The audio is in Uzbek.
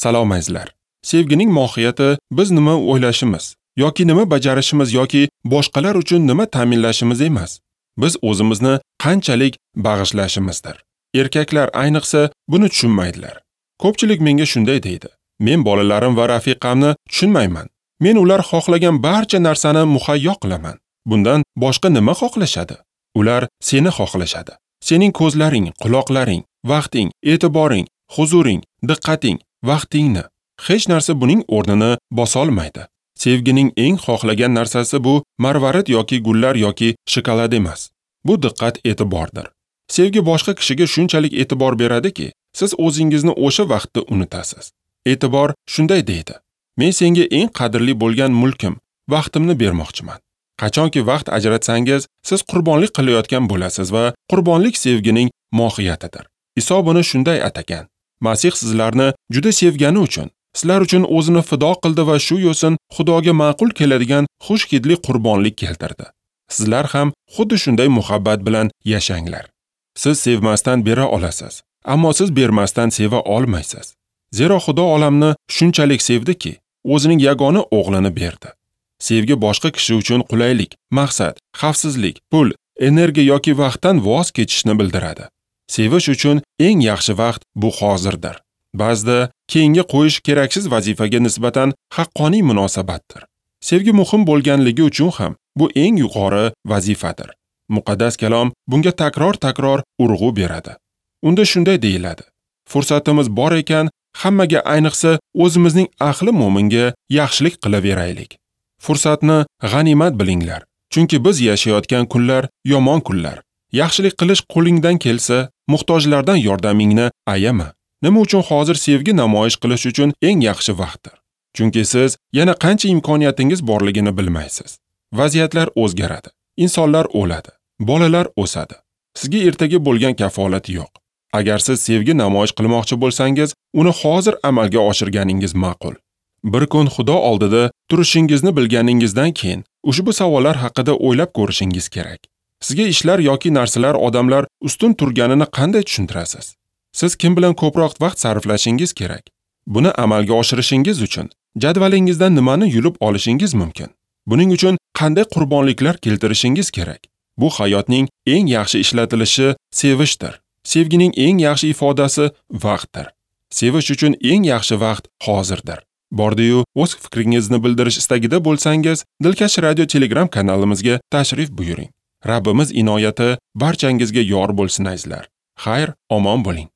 Salom azizlar. Sevgining mohiyati biz nima o'ylashimiz yoki nima bajarishimiz yoki boshqalar uchun nima ta'minlashimiz emas. Biz o'zimizni qanchalik bag'ishlashimizdir. Erkaklar ayniqsa buni tushunmaydilar. Ko'pchilik menga shunday deydi: Men bolalarim va rafiqamni tushunmayman. Men ular xohlagan barcha narsani muhayyo qilaman. Bundan boshqa nima xohlashadi? Ular seni xohlashadi. Sening ko'zlaring, quloqlaring, vaqting, e'tiboring, huzuring, diqqating, vaqtingni. Hech narsa buning o'rnini bosolmaydi. Sevgining eng xohlagan narsasi bu marvarid yoki gullar yoki shokolad emas. Bu diqqat e'tibordir. Sevgi boshqa kishiga shunchalik e'tibor beradiki, siz o'zingizni o'sha vaqtda unutasiz. E'tibor shunday deydi: Men senga eng qadrli bo'lgan mulkim, vaqtimni bermoqchiman. Qachonki vaqt ajratsangiz, siz qurbonlik qilayotgan bo'lasiz va qurbonlik sevgining mohiyatidir. Iso buni shunday atagan: Masih sizlarni juda sevgani uchun, sizlar uchun o'zini fido qildi va shu yo'sin Xudoga ma'qul keladigan xush hidli qurbonlik keltirdi. Sizlar ham xuddi shunday muhabbat bilan yashanglar. Siz sevmasdan bera olasiz, ammo siz bermasdan seva olmaysiz. Zero Xudo olamni shunchalik sevdiki, o'zining yagona o'g'lini berdi. Sevgi boshqa kishi uchun qulaylik, maqsad, xavfsizlik, pul, energiya yoki vaqtdan voz kechishni bildiradi. Sevish uchun eng yaxshi vaqt bu hozirdir. Ba'zida keyinga qo'yish keraksiz vazifaga nisbatan haqqoniy munosabatdir. Sevgi muhim bo'lganligi uchun ham bu eng yuqori vazifadir. Muqaddas kalom bunga takror-takror urg'u beradi. Unda shunday deyiladi: Fursatimiz bor ekan, hammaga, ayniqsa o'zimizning ahli mo'minga yaxshilik qilaveraylik. Fursatni g'animat bilinglar, chunki biz yashayotgan kunlar yomon kunlar. Yaxshilik qilish qo'lingdan kelsa, muhtojlardan yordamingni ayama. Nima uchun hozir sevgi namoyish qilish uchun eng yaxshi vaqtdir? Chunki siz yana qancha imkoniyatingiz borligini bilmaysiz. Vaziyatlar o'zgaradi, insonlar o'ladi, bolalar o'sadi. Sizga ertaga bo'lgan kafolat yo'q. Agar siz sevgi namoyish qilmoqchi bo'lsangiz, uni hozir amalga oshirganingiz ma'qul. Bir kun Xudo oldida turishingizni bilganingizdan keyin ushbu savollar haqida o'ylab ko'rishingiz kerak. Sizga ishlar yoki narsalar odamlar ustun turganini qanday tushuntirasiz? Siz kim bilan ko'proq vaqt sarflashingiz kerak? Buni amalga oshirishingiz uchun jadvalingizdan nimani yulib olishingiz mumkin? Buning uchun qanday qurbonliklar keltirishingiz kerak? Bu hayotning eng yaxshi ishlatilishi sevishdir. Sevgining eng yaxshi ifodasi vaqtdir. Sevish uchun eng yaxshi vaqt hozirdir. Bordi-yu o'z fikringizni bildirish istagida bo'lsangiz, Dilkash Radio Telegram kanalimizga tashrif buyuring. Rabbimiz inoyati barchangizga yor bo'lsin azizlar. Xayr, omon bo'ling.